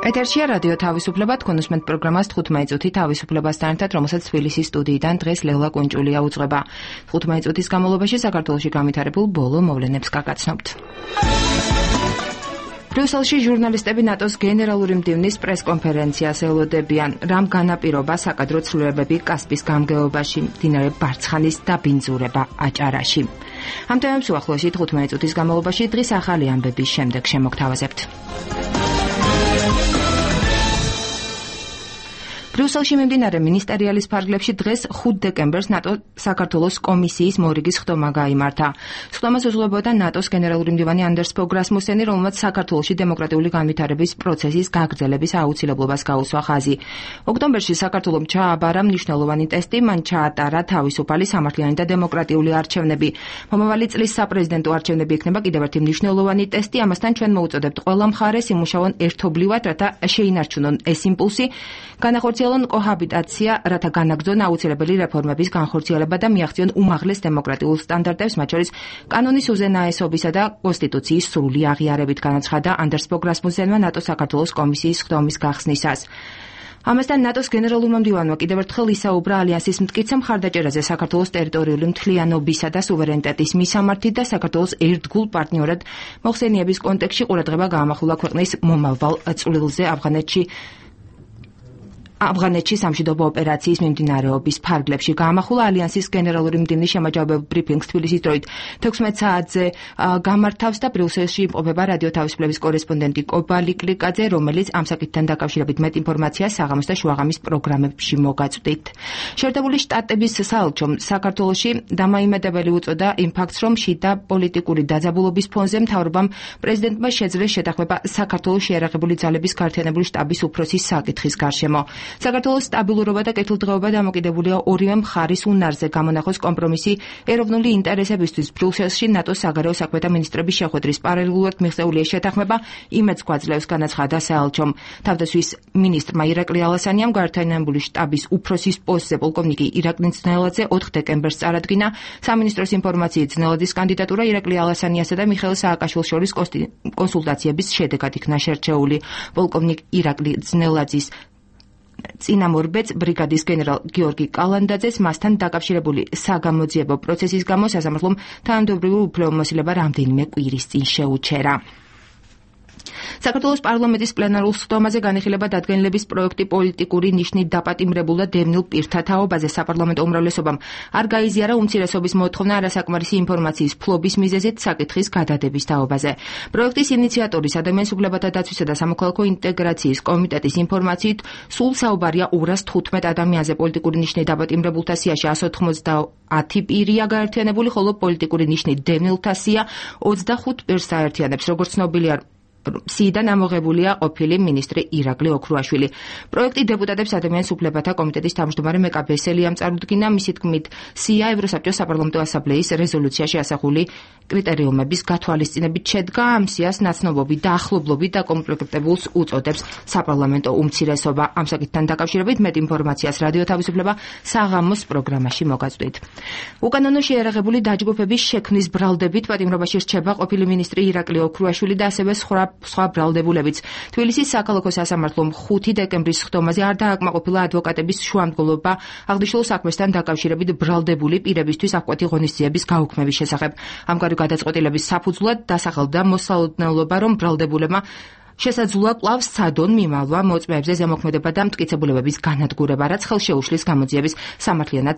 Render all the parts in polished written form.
ეთერშია რადიო თავისუფლება, თქვენ უსმენთ პროგრამას 15 წუთი თავისუფლებასთან ერთად, რომელსაც თბილისის სტუდიიდან დღეს ლევლა კუნჭულია უძღვება. 15 წუთის განმავლობაში საქართველოში განვითარებულ ბოლო მოვლენებს გაგაცნობთ. ბრიუსელში ჟურნალისტები ნატოს გენერალური მდივნის პრესკონფერენციას ელოდებიან. რამ განაპირობა საკადრო ცვლილებები კასპის გამგეობაში, მდინარე ბარცხანის დაბინძურება აჭარაში. ამ თემებს უახლოესი 15 წუთის განმავლობაში დღის ახალი ამბების შემდეგ შემოგთავაზებთ. ბრიუსელში მიმდინარე მინისტერიალის ფარგლებში დღეს 5 დეკემბერს ნატო საქართველოს კომისიის მორიგის ხდომა გაიმართა. ხდომას უძღვებოდა ნატოს გენერალური მდივანი ანდერს ფოგ რასმუსენი, რომელმაც საქართველოში დემოკრატიული განვითარების პროცესის გაგრძელების აუცილებლობას გაუსვა ხაზი. ოქტომბერში საქართველომ ჩააბარა მნიშვნელოვანი ტესტი, მან ჩაატარა თავისუფალი, სამართლიანი და დემოკრატიული არჩევნები. მომავალი წლის საპრეზიდენტო არჩევნები იქნება კიდევ ერთი მნიშვნელოვანი ტესტი, ამასთან ჩვენ მოუწოდებთ ყველა მხარეს იმუშაონ ერთობლივად, რათა შეინარჩუნონ ეს იმპულსი, განახორციელონ კოჰაბიტაცია, რათა განაგრძონ აუცილებელი რეფორმების განხორციელება და მიაღწიონ უმაღლეს დემოკრატიულ სტანდარტებს, მათ შორის კანონის უზენაესობისა და კონსტიტუციის სრული აღიარებით, განაცხადა ანდერს ფოგ რასმუსენმა ნატოს საქართველოს კომისიის ხდომის გახსნისას. ამასთან ნატოს გენერალურმა მდივანმა კიდევ ერთხელ ისაუბრა ალიანსის მტკიცე მხარდაჭერაზე საქართველოს ტერიტორიული მთლიანობისა და სუვერენიტეტის მისამართით და საქართველოს ერთგულ პარტნიორად მოხსენიების კონტექსტში ყურადღება გაამახვილა ქვეყნის მომავალ წვლილზე ავღანეთში სამშვიდობო ოპერაციის მიმდინარეობის ფარგლებში. გაამახვილა ალიანსის გენერალური მდივნის შემაჯამებელ ბრიფინგს თბილისის დროით 16 საათზე გამართავს და ბრიუსელში იმყოფება რადიო თავისუფლების კორესპონდენტი კობალი კლიკაძე, რომელიც ამ საკითხთან დაკავშირებით მეტ ინფორმაციას საღამოს და შუაღამის პროგრამებში მოგაწვდით. შეერთებული შტატების საელჩომ საქართველოში დამაიმედებელი უწოდა იმ ფაქტს, რომ შიდა პოლიტიკური დაძაბულობის ფონზე მთავრობამ პრეზიდენტმა შეძლეს შეთანხმება საქართველოს შეიარაღებული ძალების გაერთიანებული შტაბის უფროსის საკითხის გარშემო. საქართველოს სტაბილურობა და კეთილდღეობა დამოკიდებულია ორივე მხარის უნარზე გამონახოს კომპრომისი ეროვნული ინტერესებისთვის. ბრიუსელში ნატოს საგარეო საქმეთა მინისტრების შეხვედრის პარალელურად მიღწეულია შეთანხმება, იმედს გვაძლევს, განაცხადა საელჩომ. თავდაცვის მინისტრმა ირაკლი ალასანიამ გაერთიანებული შტაბის უფროსის პოსტზე პოლკოვნიკი ირაკლი ძნელაძე 4 დეკემბერს წარადგინა. სამინისტროს ინფორმაციით ძნელაძის კანდიდატურა ირაკლი ალასანიასა და მიხეილ სააკაშვილის შორის კონსულტაციების შედეგად იქნა შერჩეული. პოლკოვნიკ ირაკლი ძნელაძის წინამორბედს ბრიგადის გენერალ გიორგი კალანდაძეს მასთან დაკავშირებული საგამოძიებო პროცესის გამო სასამართლომ თანამდებობრივი უფლებამოსილება რამდენიმე კვირის წინ შეუჩერა. საქართველოს პარლამენტის პლენარულ ხდომაზე განიხილება დადგენილების პროექტი პოლიტიკური ნიშნით დაპატიმრებულ და დევნილ პირთა თაობაზე. საპარლამენტო უმრავლესობამ არ გაიზიარა უმცირესობის მოთხოვნა არასაკმარისი ინფორმაციის ფლობის მიზეზით საკითხის გადადების თაობაზე. პროექტის ინიციატორის ადამიანის უფლებათა დაცვისა და სამოქალაქო ინტეგრაციის კომიტეტის ინფორმაციით სულ საუბარია 215 ადამიანზე. პოლიტიკური ნიშნით დაპატიმრებულთა სიაში 190 პირია გაერთიანებული, ხოლო პოლიტიკური ნიშნით დევნილთა სია 25 პირს აერთიანებს. როგორც ცნობილია, სიიდან ამოღებულია ყოფილი მინისტრი ირაკლი ოქრუაშვილი. პროექტი დეპუტატებს ადამიანის უფლებათა კომიტეტის თავმჯდომარე მეკა ბესელიამ წარუდგინა. მისი თქმით, სია ევროსაბჭოს საპარლამენტო ასამბლეის რეზოლუციაში ასახული კრიტერიუმების გათვალისწინებით შედგა. ამ სიას ნაცნობობი და ახლობლობით დაკომპლექტებულს უწოდებს საპარლამენტო უმცირესობა. ამ საკითხთან დაკავშირებით მეტ ინფორმაციას რადიო თავისუფლება საღამოს პროგრამაში მოგაწვდით. უკანონო შეიარაღებული დაჯგუფების შექმნის ბრალდებით პატიმრობაში რჩება ყოფილი მინისტრი ირაკლი ოქრუაშვილი და ასევე სხვა ბრალდებულებიც. თბილისის საქალაქო სასამართლომ 5 დეკემბრის ხდომაზე არ დააკმაყოფილა ადვოკატების შუამდგომლობა აღნიშნულ საქმესთან დაკავშირებით ბრალდებული პირებისთვის აღკვეთი ღონისძიების გაუქმების შესახებ. ამგვარი გადაწყვეტილების საფუძვლად დასახელდა მოსალოდნელობა, რომ ბრალდებულებმა შესაძლოა კვლავ სცადონ მიმალვა მოწმეებზე ზემოქმედება და მტკიცებულებების განადგურება, რაც ხელს შეუშლის გამოძიების სამართლიანად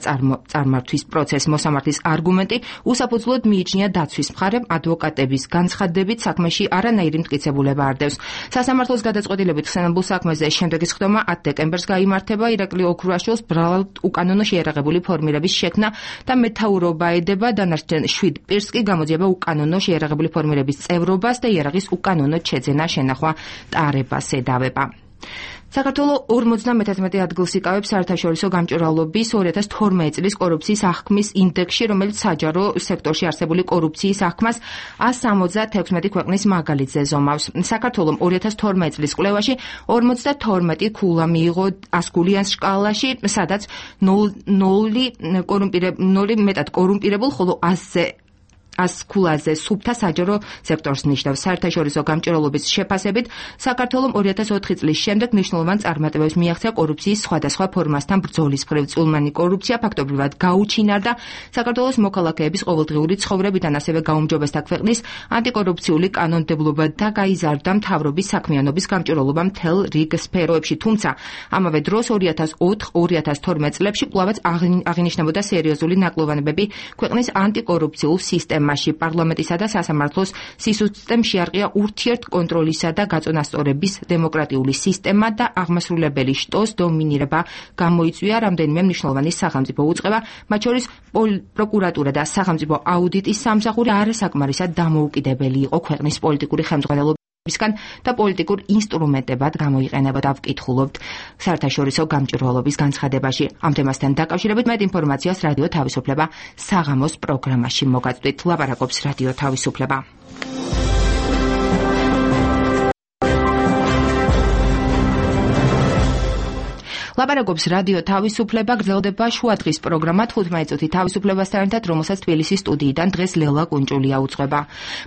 წარმართვის პროცესს. მოსამართლის არგუმენტი უსაფუძვლოდ მიიჩნია დაცვის მხარემ ადვოკატების განცხადებით საქმეში არანაირი მტკიცებულება არ დევს. სასამართლოს გადაწყვეტილებით ხსენებულ საქმეზე შემდეგი ხდომა 10 დეკემბერს გაიმართება. ირაკლი ოქრუაშვილს ბრალად უკანონო შეიარაღებული ფორმირების შექმნა და მეთაურობა ედება. დანარჩენ 7 პირს კი გამოძიება უკანონო შეიარაღებული ფორმირების წევრობას და იარაღის უკანონო შეძენა, შენახვა ტარებას ედავება. საქართველო 51 ადგილს იკავებს საერთაშორისო გამჭვირვალობის 2012 წლის კორუფციის აღქმის ინდექსში, რომელიც საჯარო სექტორში არსებული კორუფციის აღქმას 176 ქვეყნის მაგალითზე ზომავს. საქართველომ 2012 წლის კვლევაში 52 ქულა მიიღო 100 ქულიან სკალაში, სადაც 0 მეტად კორუმპირებულ, ხოლო 100-ზე ასქულაძე სუფთა საჯარო სექტორს ნიშნავს. საერთაშორისო გამჭირვალობის შეფასებით საქართველომ 2004 წლის შემდეგ მნიშვნელოვან წარმატებებს მიაღწია კორუფციის სხვადასხვა ფორმასთან ბრძოლის მხრივ. წულმანი კორუფცია ფაქტობრივად გაუჩინარდა საქართველოს მოქალაქეების ყოველდღიური ცხოვრებიდან, ასევე გაუმჯობესდა ქვეყნის ანტიკორუფციული კანონმდებლობა და გაიზარდა მთავრობის საქმიანობის გამჭირვალობა მთელ რიგ სფეროებში. თუმცა ამავე დროს 2004-2012 წლებში კვლავაც აღინიშნებოდა სერიოზული ნაკლოვანებები ქვეყნის ანტიკორუფციულ სისტემაში. პარლამენტისა და სასამართლოს სისუსტემ შეარყია ურთიერთკონტროლისა და გაწონასწორების დემოკრატიული სისტემა და აღმასრულებელი შტოს დომინირება გამოიწვია რამდენიმე მნიშვნელოვანი სახელმწიფო უწყება, მათ შორის პროკურატურა და სახელმწიფო აუდიტის სამსახური არასაკმარისად დამოუკიდებელი იყო ქვეყნის პოლიტიკური ხელმძღვანელობისგან და პოლიტიკურ ინსტრუმენტებად გამოიყენებოდა. ვკითხულობთ საერთაშორისო გამჭირვალობის განცხადებაში. ამ თემასთან დაკავშირებით მეტ ინფორმაციას რადიო თავისუფლება საღამოს პროგრამაში მოგაწვდით. ლაპარაკობს რადიო თავისუფლება. ლაპარაკობს რადიო თავისუფლება, გრძელდება შუადღის პროგრამა 15 წუთი თავისუფლებასთან ერთად, რომელსაც თბილისის სტუდიიდან დღეს ლელა კუნჭულია უძღვება.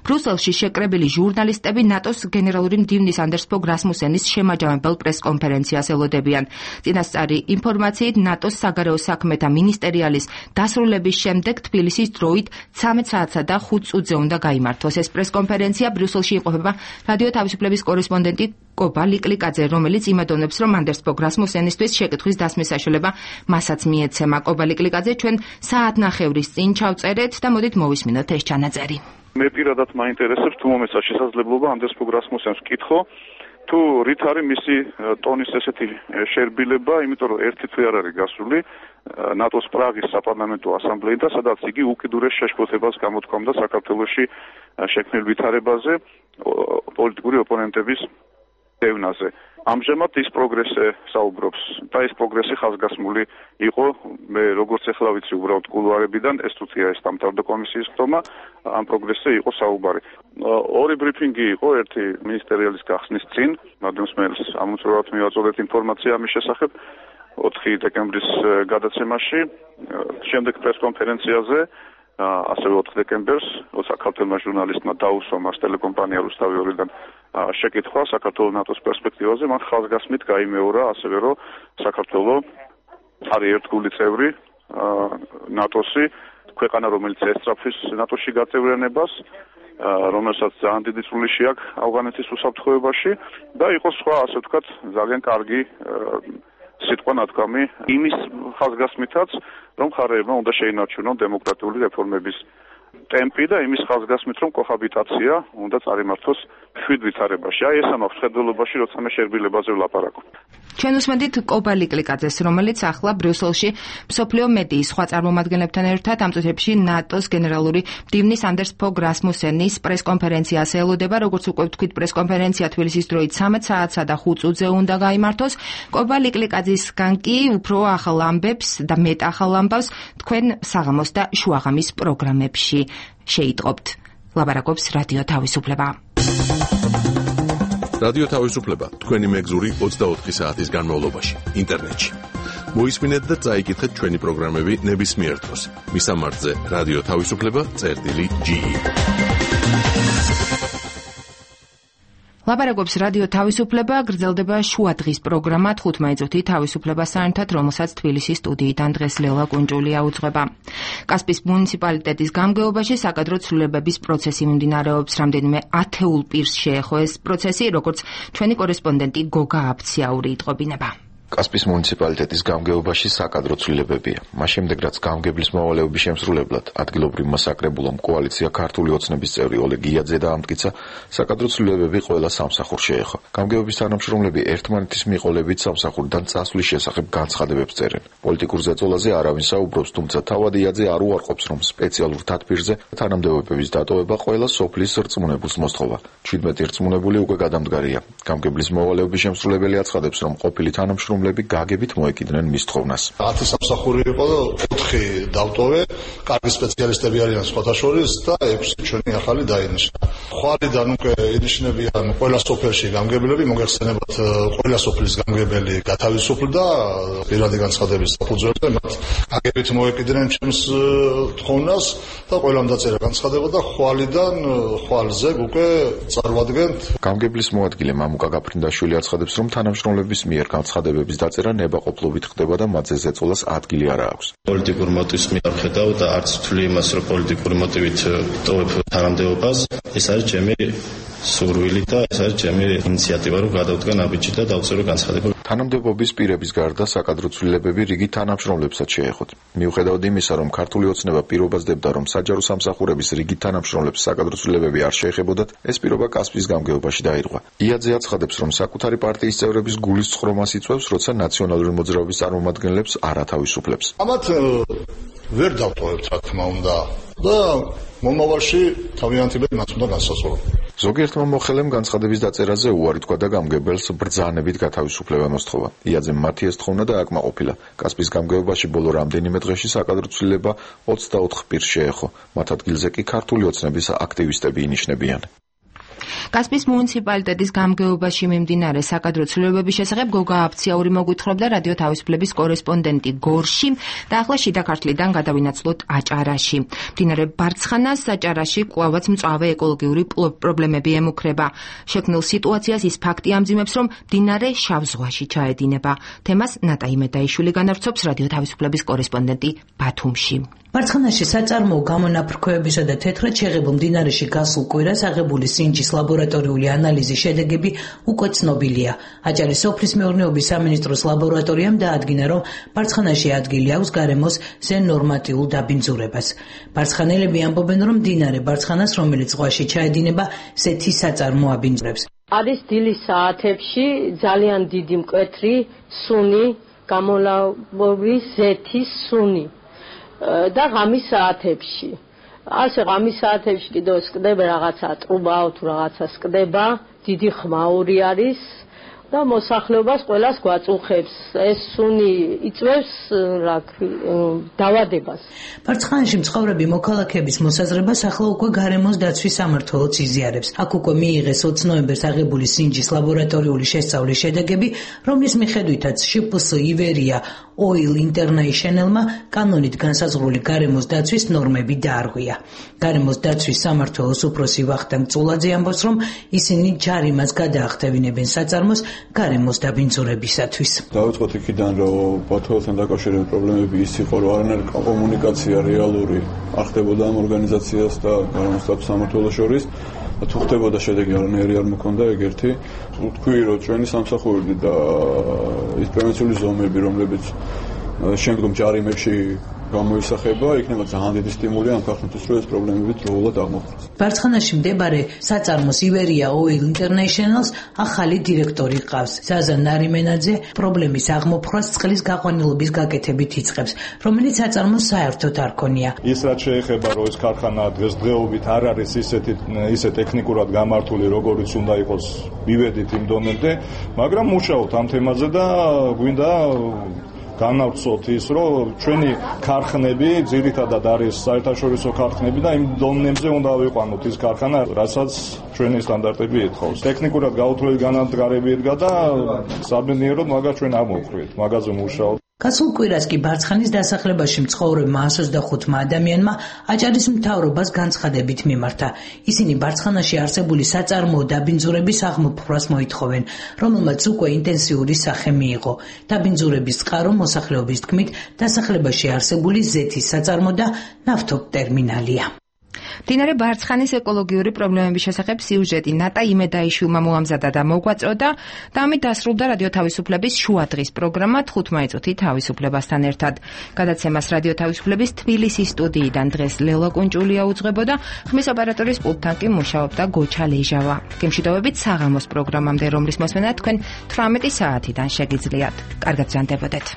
ბრიუსელში შეკრებილი ჟურნალისტები ნატოს გენერალური მდივნის Anders Fogh Rasmussenis შემაჯამებელ პრესკონფერენციას ელოდებიან. წინასწარი ინფორმაციით, ნატოს საგარეო საქმეთა მინისტერიალის დასრულების შემდეგ თბილისის დროით 13 საათსა და 5 წუთზე უნდა გაიმართოს. ეს პრესკონფერენცია ბრიუსელში იმყოფება რადიო თავისუფლების კორესპონდენტი კობა ლიკლიკაძე, რომელიც იმედოვნებს, რომ Anders Fogh Rasmussenისთვის შეკითხვის დასმის საშუალება მასაც მიეცემა. კობა ლიკლიკაძე, ჩვენ საათნახევრის წინ ჩავწერეთ და მოდით მოვისმინოთ ეს ჩანაწერი. მე პირადად მაინტერესებს თუ მომეცა შესაძლებლობა Anders Fogh Rasmussens ვკითხო, თუ რით არის მისი ტონის ესეთი შერბილება, იმიტომ რომ ერთი თვე არ არის გასული ნატოს პრაღის საპარლამენტო ასამბლეიდან, სადაც იგი უკიდურეს შეშფოთებას გამოთქვამდა საქართველოში შექმნილ ვითარებაზე, პოლიტიკური ოპონენტების დევნაზე. ამჟამად ის პროგრესზე საუბრობს და ეს პროგრესი ხაზგასმული იყო, მე როგორც ახლა ვიცი უბრალოდ კულუარებიდან, ეს თუთია ეს დამთავრდა კომისიის ხდომა, ამ პროგრესზე იყო საუბარი. ორი ბრიფინგი იყო, ერთი მინისტერიალის გახსნის წინ, მადლმსმენელს ამოწურებად მივაწოდეთ ინფორმაცია ამის შესახებ 4 დეკემბრის გადაცემაში, შემდეგ პრესკონფერენციაზე ასევე 4 დეკემბერს საქართველოს ჟურნალისტმა დაუსვა მას ტელეკომპანია რუსთავი 2-დან შეკითხვა საქართველოს ნატოს პერსპექტივაზე, მან ხაზგასმით გაიმეორა ასევე რომ საქართველოს არის ერთგული წევრი ნატოსი, ქვეყანა რომელიც ესწრაფვის ნატოში გაწევრიანებას, რომელსაც ძალიან დიდი წვლილი აქვს ავღანეთის უსაფრთხოებაში და იყო სხვა, ასე ვთქვათ, ძალიან კარგი სიტყვა ნათქვამი იმის ხაზგასმითაც, რომ მხარეებმა უნდა შეინარჩუნონ დემოკრატიული რეფორმების ტემპი და იმის ხაზგასმით, რომ კოჰაბიტაცია უნდა წარიმართოს შვიდ ვითარებაში. აი ეს ამაქვს ხედველობაში, როცა მე შერბილებაზე ვლაპარაკობ. ჩვენ უსმენთ კობა ლიკლიკაძეს, რომელიც ახლა ბრიუსელში მსოფლიო მედიის სხვა წარმომადგენლებთან ერთად ამ წუთებში ნატოს გენერალური მდივნის Anders Fogh Rasmussenis პრესკონფერენციას ელოდება. როგორც უკვე ვთქვით, პრესკონფერენცია თბილისის დროით 13 საათსა და 5 წუთზე უნდა გაიმართოს. კობა ლიკლიკაძისგან კი უფრო ახალ ამბებს და მეტ ახალ ამბავს თქვენ საღამოს და შუაღამის პროგრამებში შეიტყობთ. ლაპარაკობს რადიო თავისუფლება. რადიო თავისუფლება თქვენი მეგზური 24 საათის განმავლობაში ინტერნეტში. მოისმინეთ და წაიკითხეთ ჩვენი პროგრამები ნებისმიერ დროს. მისამართზე რადიო თავისუფლება.ge. ლაპარაკობს რადიო თავისუფლება, გრძელდება შუადღის პროგრამა 15 წუთი თავისუფლებასთან ერთად, რომელსაც თბილისის სტუდიიდან დღეს ლელა კუნჭულია უძღვება. კასპის მუნიციპალიტეტის გამგეობაში საკადრო ცვლილებების პროცესი მიმდინარეობს. რამდენიმე ათეულ პირს შეეხო ეს პროცესი, როგორც ჩვენი კორესპონდენტი გოგა აფციაური იტყობინება. კასპის მუნიციპალიტეტის გამგეობაში საკადრო ცვლილებებია. მას შემდეგ, რაც გამგებლის მოვალეობის შემსრულებლად ადგილობრივმა საკრებულომ კოალიცია ქართული ოცნების წევრი ოლეგ იაძე დაამტკიცა, საკადრო ცვლილებები ყველა სამსახურს შეეხო. გამგეობის თანამშრომლები ერთმანეთის მიყოლებით სამსახურიდან წასვლის შესახებ განცხადებებს წერენ. პოლიტიკურ ზეწოლაზე არავინ საუბრობს, თუმცა თავად იაძე არ უარყოფს, რომ სპეციალურ თათბირზე თანამდებობების დატოვება ყველა სოფლის რწმუნებულს მოსთხოვა. 17 რწმუნებული უკვე გადამდგარია. გამგებლის მოვალეობის შემსრულებელი აცხადებს, რომ ყოფილი თანამშრომლები თანამშრომლები გაგებით მოეკიდნენ მის თხოვნას. 10 სამსახური იყო, 4 დავტოვე, კარგი სპეციალისტები არიან სხვათა შორის და 6 ჩვენი ახალი დაინიშნა. ხვალიდან უკვე ინიშნებიან ყველა სოფელში გამგებლები, მოგეხსენებათ ყველა სოფლის გამგებელი გათავისუფლდა პირადი განცხადების საფუძველზე, მათ გაგებით მოეკიდნენ ჩემს თხოვნას და ყველამ დაწერა განცხადება და ხვალზე უკვე წარვადგენთ. გამგებლის მოადგილე მამუკა გაფრინდაშვილი აცხადებს, რომ თანამშრომლების მიერ განცხადებების დაწერა ნებაყოფლობით ხდება და მათზე ზეწოლას ადგილი არ აქვს. პოლიტიკური მოტივის მიერ ხედავ და არც თვლი იმას, რომ პოლიტიკური მოტივით ტოვებ თანამდებობას. ეს არის ჩემი სურვილი და ეს არის ჩემი ინიციატივა, რომ გადავდგა ნაბიჯი და დავწერო განცხადება. თანამდებობის პირების გარდა საკადრო ცვლილებები რიგი თანამშრომლებსაც შეეხოთ. მიუხედავად იმისა, რომ ქართული ოცნება პირობას დებდა, რომ საჯარო სამსახურების რიგი თანამშრომლებს საკადრო ცვლილებები არ შეეხებოდათ, ეს პირობა კასპიის გამგეობაში დაირღვა. იაძე აცხადებს, რომ საკუთარი პარტიის წევრების გულის წყრომას იწვევს, როცა ნაციონალური მოძრაობის წარმომადგენლებს არ ათავისუფლებს. ამათ ვერ დავტოვებთ, რა თქმა უნდა და მომავალში თავიანთი მათ უნდა განსაზღვრო. ზოგიერთმა მოხელემ განცხადების დაწერაზე უარი თქვა და გამგებელს ბრძანებით გათავისუფლება მოსთხოვა. იაძემ მათი ეს თხოვნა დააკმაყოფილა. კასპიის გამგეობაში ბოლო რამდენიმე დღეში საკადრო ცვლილება 24 პირს შეეხო. მათ ადგილზე კი ქართული ოცნების აქტივისტები ინიშნებიან. კასპიის მუნიციპალიტეტის გამგეობაში მიმდინარე საკადრო ცვლილებების შესახებ გოგა აფციაური მოგვითხრობდა რადიო თავისუფლების კორესპონდენტი გორში და ახლა შიდა ქართლიდან გადავინაცვლოთ აჭარაში. მდინარე ბარცხანას აჭარაში კვლავაც მწვავე ეკოლოგიური პრობლემები ემუქრება. შექმნილ სიტუაციას ის ფაქტი ამძიმებს, რომ მდინარე შავ ზღვაში ჩაედინება. თემას ნატა იმედაიშვილი განავრცობს რადიო თავისუფლების კორესპონდენტი ბათუმში. ბარცხანაში საწარმოო გამონაფრქვევებისა და თეთრად შეღებულ მდინარეში გასულ კვირას აღებული სინჯის ლაბორატორიული ანალიზის შედეგები უკვე ცნობილია. აჭარის სოფლის მეურნეობის სამინისტროს ლაბორატორიამ დაადგინა, რომ ბარცხანაში ადგილი აქვს გარემოს ზენორმატიულ დაბინძურებას. ბარცხანელები ამბობენ, რომ მდინარე ბარცხანას, რომელიც ზღვაში ჩაედინება, ზეთი საწარმო აბინძურებს. არის დილის საათებში ძალიან დიდი მკვეთრი სუნი, გამოლავობის ზეთის სუნი. და ღამის საათებში. ასე ღამის საათებში კიდევ სკდება რაღაცა ტრუბა თუ რაღაცა სკდება, დიდი ხმაური არის და მოსახლეობას ყველას გვაწუხებს. ეს სუნი იწვევს დავადებას. ბარცხანაში მცხოვრები მოქალაქეების მოსაზრებას ახლა უკვე გარემოს დაცვის სამმართველოც იზიარებს. აქ უკვე მიიღეს 20 ნოემბერს აღებული სინჯის ლაბორატორიული შესწავლის შედეგები, რომლის მიხედვითაც შპს ივერია Oil International-მა კანონით განსაზღვრული გარემოს დაცვის ნორმები დაარღვია. გარემოს დაცვის სამმართველოს უფროსი ვახტანგ წულაძე ამბობს, რომ ისინი ჯარიმას გადაახტევინებენ საწარმოს გარემოს დაბინძურებისათვის. დავიწყოთ იქიდან, რომ ბათუმთან დაკავშირებით პრობლემები ის იყო, რომ არანაირი კომუნიკაცია რეალური არ ხდებოდა ამ ორგანიზაციას და გარემოს დაცვის სამმართველოს შორის. თუ ხდებოდა შედეგი არანაირი არ მოქონდა ეგერთი. თქვი, რომ ჩვენი სამსახური და ის პრევენციული ზომები, რომლებიც შემდგომ ჯარიმებში გამოისახება, იქნება ძალიან დიდი სტიმული ამ ქართლისთვის, რომ ეს პრობლემები დროულად აღმოფხვრას. ბარცხანაში მდებარე საწარმოს ივერია Oil International-ს ახალი დირექტორი ყავს. ზაზა ნარიმენაძე პრობლემის აღმოფხვრას წყლის გაყვანილობის გაკეთებით იწყებს, რომელიც საწარმოს საერთოდ არ ქონია. ის რაც შეეხება, რომ ეს ქარხანა დღესდღეობით არ არის ისე ტექნიკურად გამართული, როგორიც უნდა იყოს, მივედით იმ დონემდე, მაგრამ მუშაობთ ამ თემაზე და გვინდა განავრცოთ ის, რომ ჩვენი ქარხნები ძირითადად არის საერთაშორისო ქარხნები და იმ დონემზე უნდა ავიყვანოთ ის ქარხანა, რასაც ჩვენი სტანდარტები ეთხოვს. ტექნიკურად გაუთვლელი განადგარები ედგა და საბედნიეროდ მაგას ჩვენ არ მოვხვრით, მაგაზე მუშაობთ. გასულ კვირას კი ბარცხანის დასახლებაში მცხოვრებმა 125 ადამიანმა აჭარის მთავრობას განცხადებით მიმართა. ისინი ბარცხანაში არსებული საწარმოო დაბინძურების აღმოფხვრას მოითხოვენ, რომელმაც უკვე ინტენსიური სახე მიიღო. დაბინძურების წყარო მოსახლეობის თქმით დასახლებაში არსებული ზეთის საწარმო და ნავთობტერმინალია. მდინარე ბარცხანის ეკოლოგიური პრობლემების შესახებ სიუჟეტი ნატა იმედაიშვილმა მოამზადა და მოგვაწოდა და ამით დასრულდა რადიო თავისუფლების შუადღის პროგრამა 15 წუთი თავისუფლებასთან ერთად. გადაცემას რადიო თავისუფლების თბილისის სტუდიიდან დღეს ლელა კუნჭულია უძღვებოდა, ხმის ოპერატორის პულტთან კი მუშაობდა გოჩა ლეჟავა. გემშვიდობებით საღამოს პროგრამამდე, რომლის მოსმენა თქვენ 18 საათიდან შეგიძლიათ. კარგად ბრძანდებოდეთ.